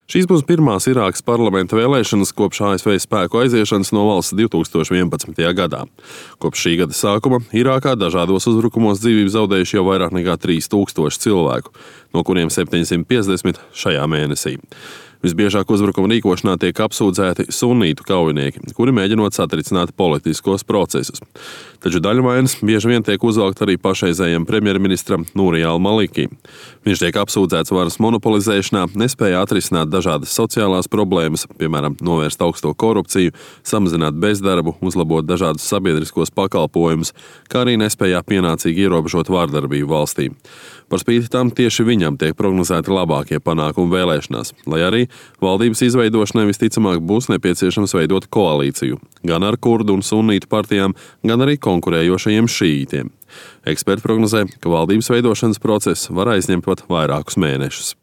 Šīs būs pirmās Irākas parlamenta vēlēšanas kopš ASV spēku aiziešanas no valsts 2011. gadā. Kopš šī gada sākuma Irākā dažādos uzbrukumos dzīvību zaudējuši jau vairāk nekā 3000 cilvēku, no kuriem 750 šajā mēnesī. Visbiežāk uzbrukuma rīkošanā tiek apsūdzēti sunītu kaujinieki, kuri mēģinot satricināt politiskos procesus. Taču daļvainas bieži vien tiek uzvelkt arī pašreizējiem premjerministram Nuri al-Maliki. Viņš tiek apsūdzēts varas monopolizēšanā, nespēja atrisināt dažādas sociālās problēmas, piemēram, novērst augsto korupciju, samazināt bezdarbu, uzlabot dažādus sabiedriskos pakalpojumus, kā arī nespējā pienācīgi ierobežot vārdarbību valstī. Par spīti tam tieši viņam tiek prognozēti labākie panākumi vēlēšanās, lai arī valdības izveidošanai visticamāk būs nepieciešams veidot koalīciju gan ar kurdu un sunītu partijām, gan arī konkurējošajiem šīītiem. Eksperti prognozē, ka valdības veidošanas process var aizņemt pat vairākus mēnešus.